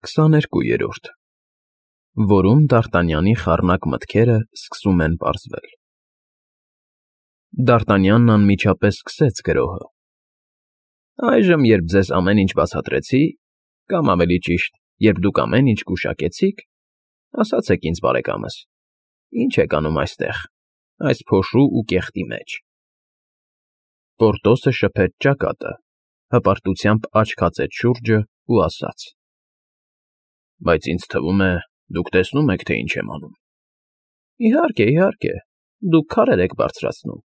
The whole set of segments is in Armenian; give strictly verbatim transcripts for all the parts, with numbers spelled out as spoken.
քսաներկուերորդ, որում Դարտանյանի խառնակ մտքերը սկսում են պարզվել։ Դարտանյանն անմիջապես սկսեց գրոհը. Այժմ, երբ ձեզ ամեն ինչ բացատրեցի, կամ ավելի ճիշտ, երբ դուք ամեն ինչ գուշակեցիք, ասացեք ինձ, բարեկամս, ի՞նչ եք անում այստեղ, այս փոշու ու կեղտի մեջ։ Պորտոսը շփեց ճակատը, հպարտությամբ աչք հացեց շուրջը ու ասաց. Բայց ինձ թվում է, դուք տեսնում եք, թե ինչ եմ անում։ Իհարկե, իհարկե, դուք քարեր եք բարձրացնում։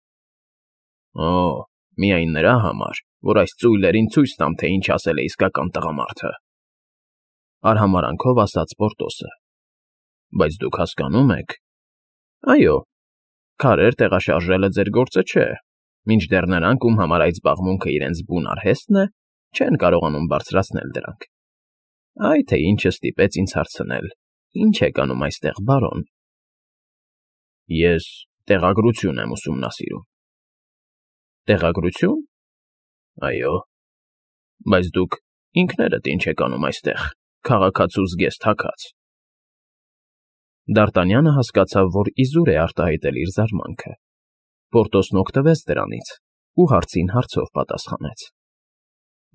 Օ, միայն նրա համար, որ այս ծույլերին ցույց տամ, թե ինչ ասել է իսկական տղամարդը, արհամարհանքով ասաց Պորտոսը։ Բայց դուք հասկանում եք։ Այո, քարեր տեղաշարժելը ձեր գործը չէ, մինչդեռ նրանք, ում համար այդ զբաղմունքը իրենց բուն արհեստն է, չեն կարողանում բարձրացնել դրանք։ Այ թե ինչը ստիպեց ինձ հարցնել. Ինչ եք անում այստեղ, բարոն։ Ես տեղագրություն եմ ուսումնասիրում։ Տեղագրություն։ Այո։ Բայց դուք ինքներդ ինչ եք անում այստեղ, քաղաքացու զգեստ֊հագած։ Դարտանյանը հասկացավ, որ իզուր է արտահայտել իր զարմանքը։ Պորտոսն օգտվեց դրանից ու հարցին հարցով պատասխանեց։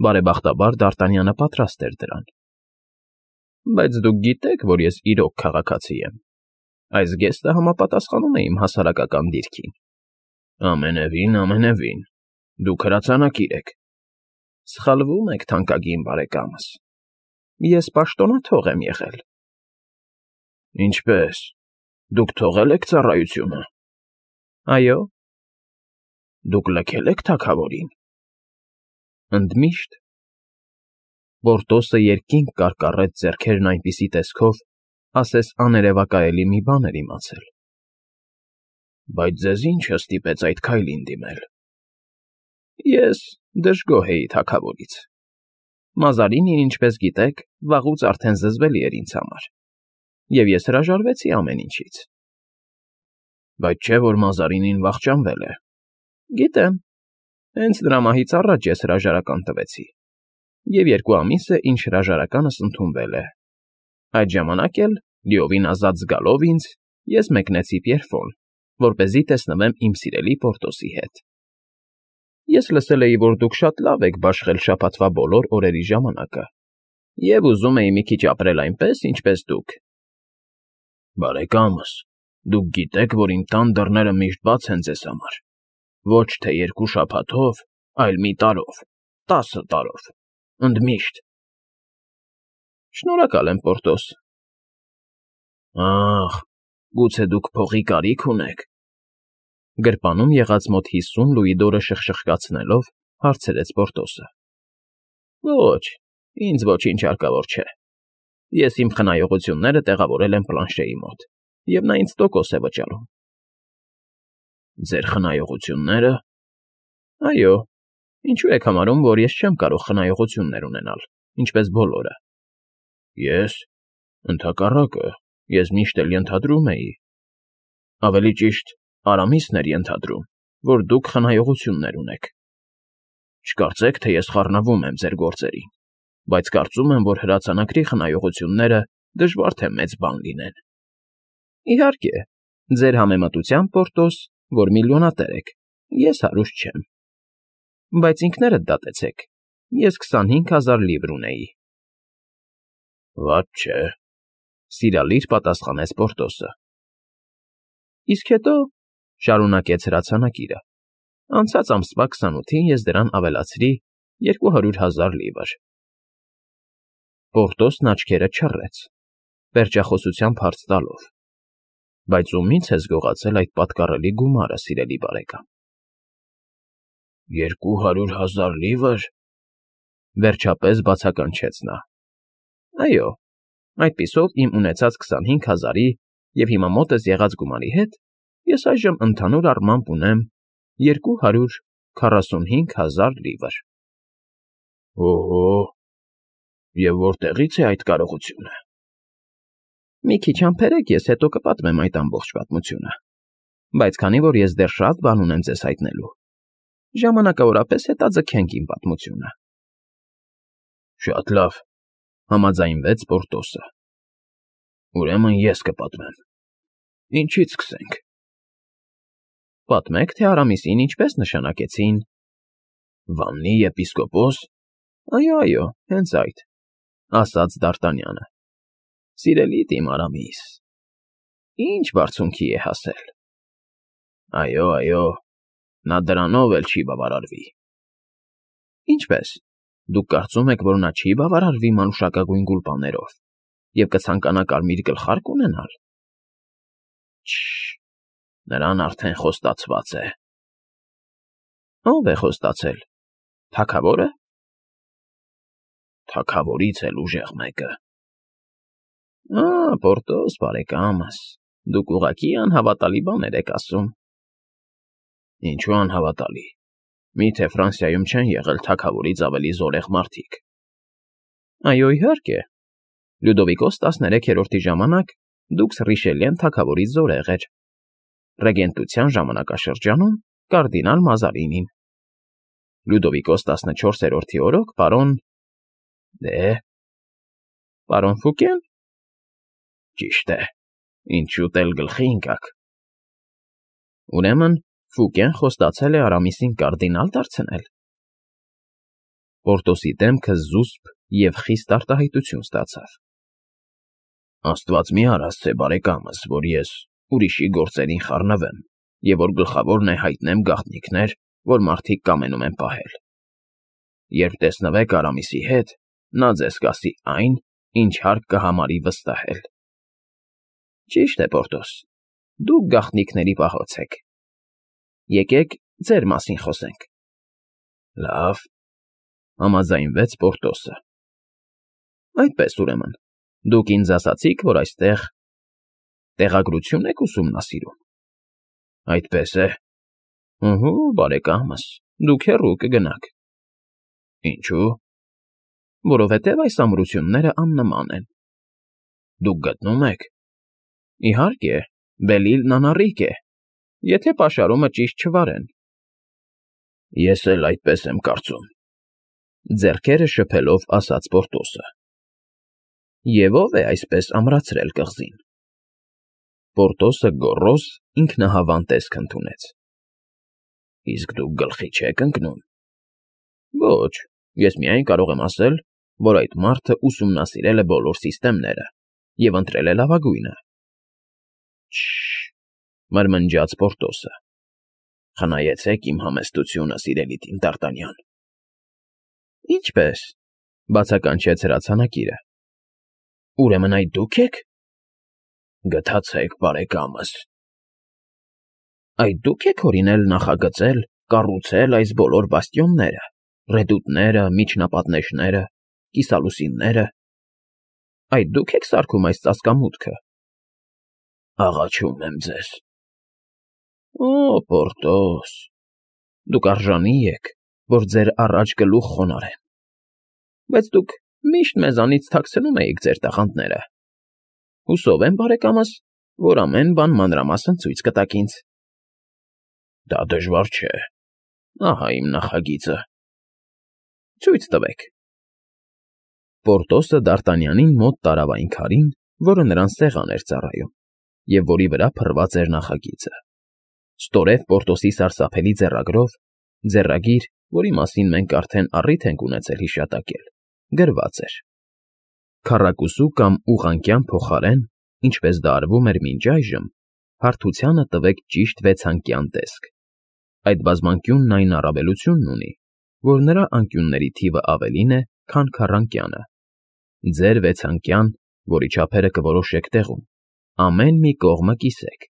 Բարեբախտաբար Դարտանյանը պատրաստ էր դրան։ Բայց դուք գիտեք, որ ես իրոք քաղաքացի եմ։ Այս զգեստը համապատասխանում է իմ հասարակական դիրքին։ Ամենևին, ամենևին, դուք հրացանակիր եք։ Սխալվում եք, թանկագին բարեկամս։ Ես պաշտոնաթող եմ եղել։ Ինչպե՞ս, դուք թողել եք ծառայությունը։ Այո։ Դուք լքել եք թագավորին։ Ընդմիշտ։ Պորտոսը երկինք կարկառեց ձեռքերն այնպիսի տեսքով, ասես աներևակայելի մի բան էր իմացել։ Բայց ձեզ ի՞նչը ստիպեց այդ քայլին դիմել։ Ես դժգոհ էի թագավորից։ Մազարինին, ինչպես գիտեք, վաղուց արդեն զզվելի էր ինձ համար, և ես հրաժարվեցի ամեն ինչից։ Բայց չէ՞ որ Մազարինին վախճանվել է։ Գիտեմ, հենց նրա մահից առաջ ես հրաժարական տվեցի, և երկու ամիս է, ինչ հրաժարականս ընդունվել է։ Այդ ժամանակ էլ, լիովին ազատ զգալով ինձ, ես մեկնեցի Պիերֆոն, որպեսզի տեսնվեմ իմ սիրելի Պորտոսի հետ։ Ես լսել էի, որ դուք շատ լավ եք բաշխել շաբաթվա բոլոր օրերի ժամանակը, և ուզում էի մի քիչ ապրել այնպես, ինչպես դուք։ Բարեկամս, դուք գիտեք, որ իմ տան դռները միշտ բաց են ձեզ համար, ոչ թե երկու շաբաթով, այլ մի տարով, տասը տարով, ընդմիշտ։ Շնորհակալ եմ, Պորտոս։ Ախ, գուցե դուք փողի կարիք ունեք։ Գրպանում եղած մոտ հիսուն լուիդորը շխշխկացնելով հարցրեց Պորտոսը։ Ոչ, ինձ ոչինչ հարկավոր չէ։ Ես իմ խնայողությունները տեղավորել եմ Պլանշեի մոտ, և նա ինձ տոկոս է վճարում։ Ձեր խնայողություննե՞րը։ Այո, ինչու եք համարում, որ ես չեմ կարող խնայողություններ ունենալ, ինչպես բոլորը։ Ես, ընդհակառակը, ես միշտ էլ ենթադրում էի։ Ավելի ճիշտ, Արամիսն էր ենթադրում, որ դուք խնայողություններ ունեք։ Չկարծեք, թե ես խառնվում եմ ձեր գործերին, բայց կարծում եմ, որ հրացանակրի խնայողությունները դժվար թե մեծ բան լինեն։ Իհարկե, ձեր համեմատությամբ, Պորտոս, որ միլիոնատեր եք, ես հարուստ չեմ։ Բայց ինքներդ դատեցեք, ես քսանհինգ հազար լիվր ունեի։ Վատ չէ, սիրալիր պատասխանեց Պորտոսը։ Իսկ հետո, շարունակեց հրացանակիրը, անցած ամսվա քսանութին ես դրան ավելացրի երկու հարյուր հազար լիվր։ Պորտոսն աչքերը չռեց, պերճախոսությամբ հարց տալով. Բայց ումի՞ց ես գողացել այդ պատկառելի գումարը, սիրելի բարեկամ։ Երկու հարյուր հազար լիվր, վերջապես բացականչեց նա։ Այո, այդպիսով իմ ունեցած քսանհինգ հազարի և հիմա մոտս եղած գումարի հետ ես այժմ ընդհանուր առմամբ ունեմ երկու հարյուր քառասունհինգ հազար լիվր։ Օհո, և որտեղի՞ց է այդ կարողությունը։ Մի քիչ համբերեք, ես հետո կպատմեմ այդ ամբողջ պատմությունը, բայց քանի որ ես դեռ շատ բան ունեմ ձեզ հայտնելու, ժամանակավորապես հետաձգենք իմ պատմությունը։ Շատ լավ, Համաձայնվեց Պորտոսը։ Ուրեմն ես կպատմեմ։ Ինչից սկսենք։ Պատմեք, թե Արամիսին ինչպես նշանակեցին։ Վաննի եպիսկոպոս։ Այո, այո, հենց այդ, ասաց Դ'Արտանյանը։ Սիրելի իմ Արամիս, ինչ բարձունքի է հասել։ Այո, այո, նա դրանով էլ չի բավարարվի։ Ինչպես, դուք կարծում եք, որ նա չի բավարարվի մանուշակագույն գուլպաներով և կցանկանա կարմիր գլխարկ ունենալ։ Չը՛, նրան արդեն խոստացված է։ Ո՞վ է խոստացել, թագավորը։ Թագավորից էլ ուժեղ մեկը։ Ա, Պորտոս, բարեկամս, դուք ուղղակի անհավատալի բաներ եք ասում։ Ինչու անհավատալի։ Միթե Ֆրանսիայում չեն եղել թագավորից ավելի զորեղ մարդիկ։ Այո, իհարկե։ Լյուդովիկոս տասներեքերորդի ժամանակ դուքս Ռիշելիեն թագավորից զորեղ էր։ Ռեգենտության ժամանակաշրջանում կարդինալ Մազարինին։ Լյուդովիկոս տասնչորսերորդի օրոք պարոն… Դե… Պարոն Ֆուկեն։ Ճիշտ է, ինչ շուտ էլ գլխի ընկաք։ Ուրեմն Ֆուկեն խոստացել է Արամիսին կարդինալ դարձնել։ Պորտոսի դեմքը զուսպ և խիստ արտահայտություն ստացավ։ Աստված մի արասցե, բարեկամս, որ ես ուրիշի գործերին խառնվեմ և որ գլխավորն է հայտնեմ գաղտնիքներ, որ մարդիկ կամենում են պահել։ Երբ տեսնվեք Արամիսի հետ, նա ձեզ կասի այն, ինչ հարկ կհամարի վստահել։ Ճիշտ է, Պորտոս, դուք գաղտնիքների պահոց եք։ Եկեք ձեր մասին խոսենք։ Լավ, համաձայնվեց Պորտոսը։ Այդպես ուրեմն, դուք ինձ ասացիք, որ այստեղ տեղագրություն եք ուսումնասիրում։ Այդպես է։ Ուհու, բարեկամս, դուք հեռու կգնաք։ Ինչու։ Որովհետև այս ամրությունները աննման են։ Դուք գտնում եք։ Իհարկե, Բելիլն անառիկ է, եթե պաշարումը ճիշտ չվարեն։ Ես էլ այդպես եմ կարծում, ձեռքերը շփելով ասաց Պորտոսը։ Եվ ո՞վ է այսպես ամրացրել կղզին։ Պորտոսը գոռոզ ինքնահավան տեսք ընդունեց։ Իսկ դուք գլխի չեք ընկնում։ Ոչ, ես միայն կարող եմ ասել, որ այդ մարդը ուսումնասիրել է բոլոր սիստեմները և ընտրել է լավագույնը։ Չը՛, մրմնջաց Պորտոսը։ Խնայեցեք իմ համեստությունը, սիրելի իմ Դ'Արտանյան։ Ինչպես, բացականչեց հրացանակիրը։ Ուրեմն այդ դուք եք։ Գթացեք, բարեկամս։ Այդ դուք եք օրինել նախագծել, կառուցել այս բոլոր բաստիոնները, ռեդուտները, միջնապատնեշները, կիսալուսինները։ Այդ դուք եք սարքում այս ծածկամուտքը։ Աղաչում եմ ձեզ։ Օ, Պորտոս, դուք արժանի եք, որ ձեր առաջ գլուխ խոնարհեմ։ Բայց դուք միշտ մեզանից թաքցնում էիք ձեր տաղանդները։ Հուսով եմ, բարեկամս, որ ամեն բան մանրամասն ցույց կտաք ինձ։ Դա դժվար չէ։ Ահա իմ նախագիծը։ Ցույց տվեք։ Պորտոսը Դ'Արտանյանին մոտ տարավ այն քարին, որը նրան սեղան էր ծառայում, և որի վրա փռված էր նախագիծը։ Ստորև Պորտոսի սարսափելի ձեռագրով, ձեռագիր, որի մասին մենք արդեն առիթ ենք ունեցել հիշատակել, գրված էր. Քառակուսու կամ ուղղանկյան փոխարեն, ինչպես դա արվում էր մինչ այժմ, հարթությանը տվեք ճիշտ վեցանկյան տեսք։ Այդ բազմանկյունն այն առավելությունն ունի, որ նրա անկյունների թիվը ավելին է, քան քառանկյանը։ Ձեր վեցանկյան, որի չափերը կորոշեք տեղում, ամեն մի կողմը կիսեք։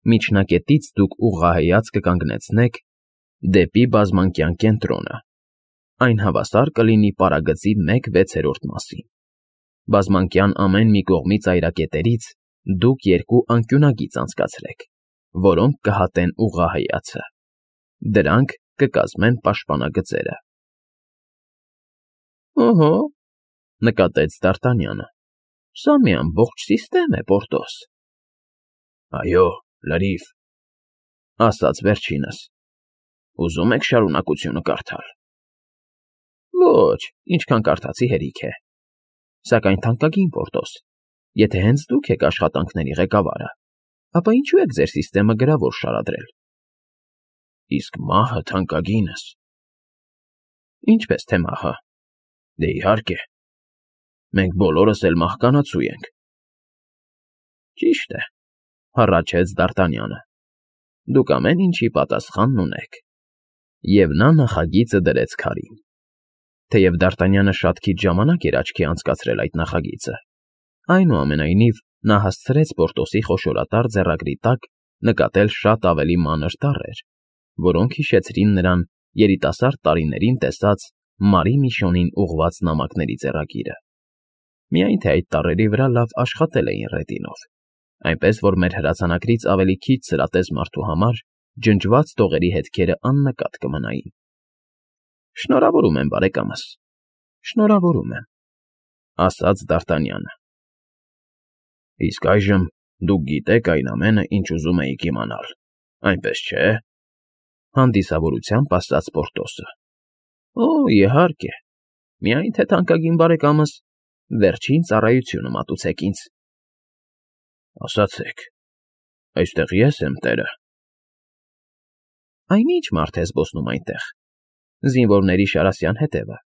Միջնակետից դուք ուղղահայաց կկանգնեցնեք դեպի բազմանկյան կենտրոնը։ Այն հավասար կլինի պարագծի մեկ վեցերորդ մասին։ Բազմանկյան ամեն մի կողմի ծայրակետերից դուք երկու անկյունագիծ անցկացրեք, որոնք կհատեն ուղղահայացը։ Դրանք կկազմեն պաշտպանագծերը։ Օհո, նկատեց Դ'Արտանյանը։ Սա մի ամբողջ սիստեմ է, Պորտոս։ Այո, լրիվ, ասաց վերջինս։ Ուզում եք շարունակությունը կարդալ։ Ոչ, ինչքան կարդացի հերիք է։ Սակայն թանկագին Պորտոս, եթե հենց դուք եք աշխատանքների ղեկավարը, ապա ինչու եք ձեր սիստեմը գրավոր շարադրել։ Իսկ մահը թանկագինս։ Ինչպես թե մահը։ Դե իհարկե։ Մենք բոլորս էլ մահկանացու ենք։ Ճիշտ է, հառաչեց Դ'Արտանյանը։ Դուք ամեն ինչի պատասխանն ունեք։ Եվ նա նախագիծը դրեց քարին։ Թեև Դ'Արտանյանը շատ քիչ ժամանակ էր աչքի անցկացրել այդ նախագիծը, այնուամենայնիվ նա հասցրեց Պորտոսի խոշորատար ձեռագրի տակ նկատել շատ ավելի մանր տառեր, որոնք հիշեցրին նրան երիտասարդ տարիներին տեսած Մարի Միշոնին ուղղված նամակների ձեռագիրը։ Միայն թե այդ տառերի վրա լավ աշխատել էին ռետինով, այնպես որ մեր հրացանակրից ավելի քիչ սրատես մարդու համար ջնջված տողերի հետքերը աննկատ կմնային։ Շնորհավորում եմ, բարեկամս, շնորհավորում եմ, ասաց Դ'Արտանյանը։ Իսկ այժմ դուք գիտեք այն ամենը, ինչ ուզում էիք իմանալ, այնպես չէ՞, հանդիսավորությամբ ասաց Պորտոսը։ Օ, իհարկե, միայն թե թանկագին բարեկամս, վերջին ծառայությունը մատուցեք ինձ։ Ասացեք, այստեղ ես եմ տերը։ Այն ի՞նչ մարդ է զբոսնում այնտեղ, զինվորների Շարասյան հետևը։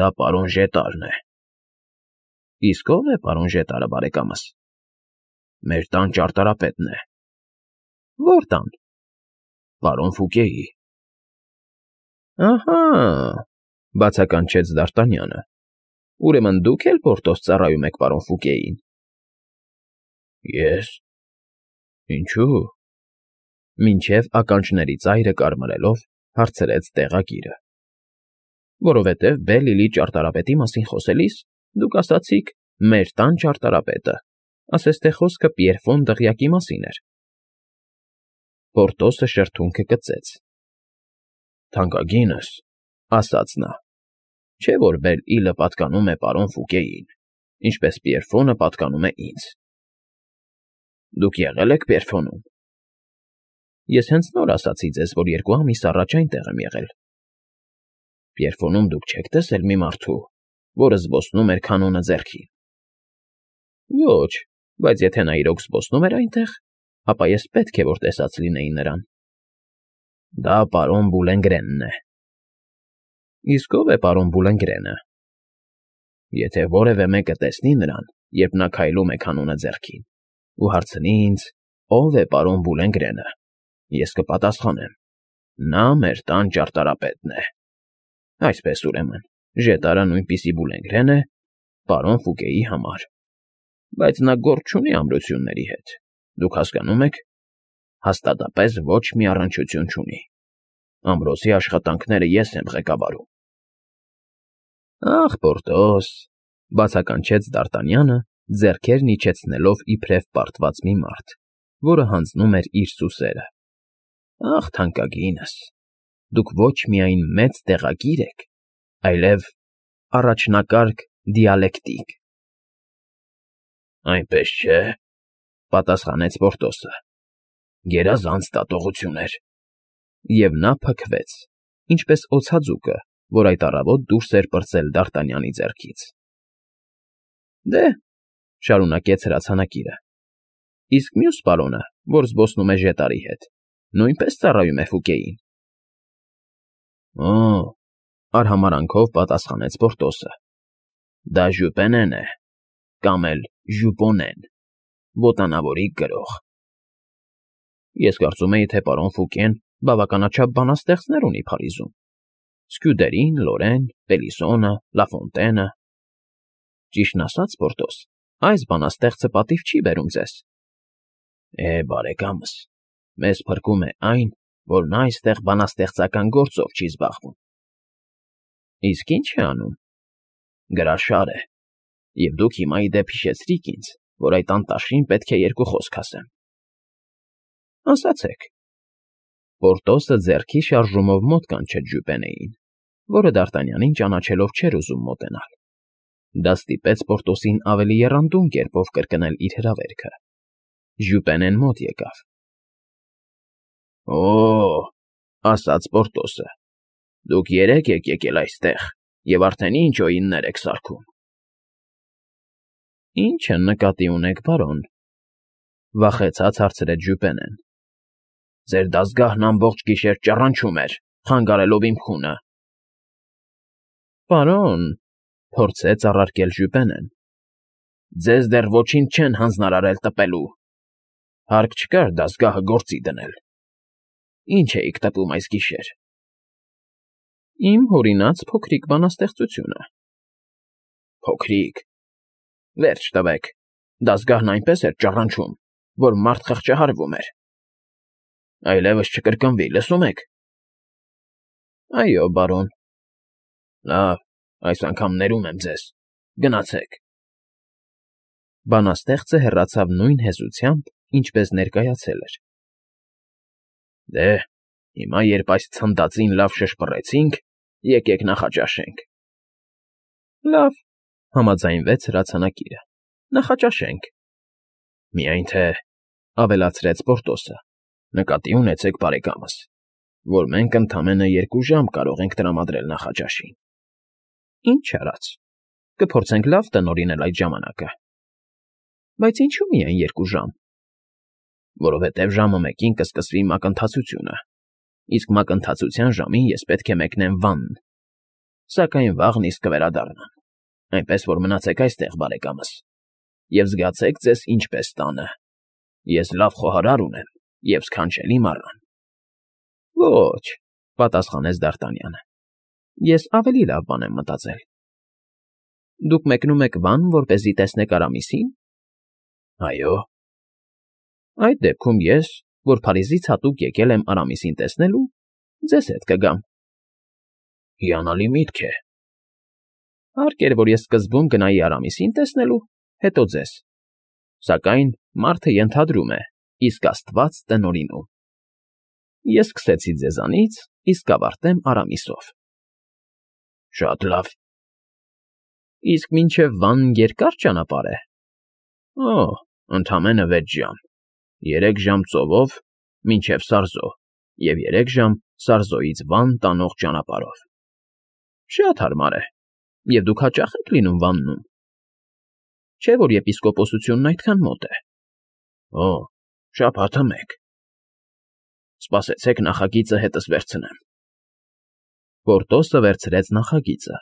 Դա պարոն Ժետարն է։ Իսկ ո՞վ է պարոն Ժետարը, բարեկամս։ Մեր տան ճարտարապետն է։ Ո՞ր տան։ Պարոն Ֆուկեի։ Ահա, բացականչեց Դ'Արտանյանը։ Ուրեմն դուք էլ Պորտոս ծառայում եք պարոն Ֆուկեին։ Ես։ Ինչու՞։ Մինչև ականջների ծայրը կարմրելով հարցրեց տեղագիրը։ Որովհետև Բել֊Իլի ճարտարապետի մասին խոսելիս դուք ասացիք մեր տան ճարտարապետը, ասես թե խոսքը Պիերֆոն դղյակի մասին էր։ Պորտոսը շրթունքը կծեց։ Թանկագինս, ասաց նա, չէ որ Բել֊Իլը պատկանում է պարոն Ֆուկեին, ինչպես Պիերֆոնը պատկանում է ինձ։ Դուք եղել եք Պիերֆոնում։ Ես հենց նոր ասացի ձեզ, որ երկու ամիս առաջ այնտեղ եմ եղել։ Պիերֆոնում դուք չեք տեսել մի մարդու, որը զբոսնում էր քանոնը ձեռքին։ Ոչ, բայց եթե նա իրոք զբոսնում էր այնտեղ, ապա ես պետք է որ տեսած լինեի նրան։ Դա պարոն Բուլենգրենն է։ Իսկ ո՞վ է պարոն Բուլենգրենը։ Եթե որևէ մեկը տեսնի նրան, երբ նա քայլում է քանոնը ձեռքին, ու հարցնի ինձ, ո՞վ է պարոն Բուլենգրենը, ես կպատասխանեմ. նա մեր տան ճարտարապետն է։ Այսպես ուրեմն, Ժետարը նույնպիսի Բուլենգրեն է պարոն Ֆուկեի համար։ Բայց նա գործ չունի ամրությունների հետ, դուք հասկանում եք, հաստատապես ոչ մի առնչություն չունի։ Ամրոցի աշխատանքները ես եմ ղեկավարում։ Ախ, Պորտոս, բացականչեց Դ'Արտանյանը, ձեռքերն իջեցնելով իբրև պարտված մի մարդ, որը հանձնում էր իր սուսերը։ Ախ, թանկագինս, դուք ոչ միայն մեծ տեղագիր եք, այլև առաջնակարգ դիալեկտիկ։ Այնպես չէ, պատասխանեց Պորտոսը։ Գերազանց դատողություններ։ Եվ նա փքվեց, ինչպես օձաձուկը, որ այդ առավոտ դուրս էր պրծել Դ'Արտանյանի ձեռքից։ Դե, շարունակեց հրացանակիրը, իսկ մյուս պարոնը, որ զբոսնում է Ժետարի հետ, նույնպես ծառայում է Ֆուկեին։ Օ, արհամարանքով պատասխանեց Պորտոսը։ Դա Ժուպենեն է, կամ էլ Ժուպոնեն, ոտանավորի գրող։ Ես կարծում էի, թե պարոն Ֆուկեն բավականաչափ բանաստեղծներ ունի Փարիզում։ Սկյուդերին, Լորեն, Պելիսոնը, Լաֆոնտենը։ Ճիշտն ասած, Պորտոս, այս բանաստեղծը պատիվ չի բերում ձեզ։ Է, բարեկամս, մեզ փրկում է այն, որ նա այստեղ բանաստեղծական գործով չի զբաղվում։ Իսկ ի՞նչ է անում։ Գրաշար է, և դուք հիմա ի դեպ հիշեցրիք ինձ, որ այդ անտաշին պետք է երկու խոսք ասեմ։ Ասացեք։ Պորտոսը ձեռքի շարժումով մոտ կանչեց Ժուպենեին, որը Դ'Արտանյանին ճանաչելով չէր ուզում մոտենալ։ Դա ստիպեց Պորտոսին ավելի եռանդուն կերպով կրկնել իր հրավերքը։ Ժուպենեն մոտ եկավ։ Օ, ասաց Պորտոսը, դուք երեք եք եկել այստեղ և արդեն ինչ օիններ եք սարքում։ Ի՞նչ նկատի ունեք, պարոն,֊ վախեցած հարցրեց Ժյուպենեն։ ֊ Ձեր դաստգահն ամբողջ գիշեր ճառանչում էր, խանգարելով իմ խունը։ ֊ Պարոն,֊ փորձեց առարկել Ժյուպենեն,֊ ձեզ դեռ ոչինչ չեն հանձնարարել տպելու. հարկ չկար դաստգահը գործի դնել։ Ի՞նչ էիք տպում այս գիշեր։ ֊ Իմ հորինած փոքրիկ բանաստեղծությունը։ ֊ Փոքրիկ… Վերջ տվեք, դաստգահն այնպես էր ճառանչում, որ մարդ խղճահարվում էր։ Այլևս չկրկնվի, լսո՞ւմ եք։ ֊ Այո, պարոն։ ֊ Լավ, այս անգամ ներում եմ ձեզ, գնացեք։ Բանաստեղծը հեռացավ նույն հեզությամբ, ինչպես ներկայացել էր։ ֊ Դե, հիմա, երբ այս ցնդածին լավ շշպռեցինք, եկեք նախաճաշենք։ ֊ Լավ,֊ համաձայնվեց հրացանակիրը,֊ նախաճաշենք։ ֊ Միայն թե,֊ ավելացրեց Պորտոսը,֊ նկատի ունեցեք, բարեկամս, որ մենք ընդամենը երկու ժամ կարող ենք տրամադրել նախաճաշին։ ֊ Ինչ արած, կփորձենք լավ տնօրինել այդ ժամանակը։ ֊ Բայց ինչո՞ւ միայն երկու ժամ։ ֊ Որովհետև ժամը մեկին կսկսվի մակընթացությունը, իսկ մակընթացության ժամին ես պետք է մեկնեմ վանն, սակայն վաղն իսկ կվերադառնամ, այնպես որ մնացեք այստեղ, բարեկամս, և զգացեք ձեզ ինչպես տանը. ես լավ խոհարար ունեմ և սքանչելի մառան։ ֊ Ոչ,֊ պատասխանեց Դ'Արտանյանը,֊ ես ավելի լավ բան եմ մտածել։ Դուք մեկնում եք վան, որպեսզի տեսնեք Արամիսի՞ն։ ֊ Այո։ ֊ Այդ դեպքում ես, որ Փարիզից հատուկ եկել եմ Արամիսին տեսնելու, ձեզ հետ կգամ։ ֊ Հիանալի միտք է։ ֊ Հարկ էր, որ ես սկզբում գնայի Արամիսին տեսնելու, հետո ձեզ, սակայն մարդը ենթադրում է, իսկ աստված տնօրինում։ Ես սկսեցի ձեզանից, իսկ կավարտեմ Արամիսով։ ֊ Շատ լավ։ ֊ Իսկ մինչև վանն երկա՞ր ճանապարհ է։ ֊ Օ, ընդամենը վեց ժամ, երեք ժամ ծովով, մինչև Սարզո և երեք ժամ Սարզոյից վան տանող ճանապարհով։ ֊ Շատ հարմար է, և դուք հաճա՞խ եք լինում վաննում։ ֊ Չէ՞ որ եպիսկոպոսությունն այդքան մոտ է։ ֊ Օ, շաբաթը մեկ։ ֊ Սպասեցեք նախագիծը հետս վերցնեմ։ Պորտոսը վերցրեց նախագիծը,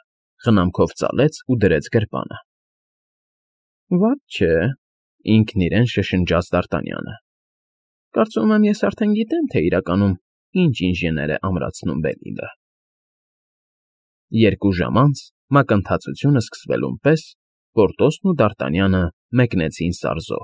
խնամքով ծալեց ու դրեց գրպանը։ ֊ Վատ չէ,֊ ինքն իրեն շշնջաց Դ'Արտանյանը,֊ կարծում եմ, ես արդեն գիտեմ, թե իրականում ինչ ինժեներ է ամրացնում Բելիլը։ Երկու ժամ անց, մակընթացությունը սկսվելուն պես, Պորտոսն ու Դ'Արտանյանը մեկնեցին Սարզո։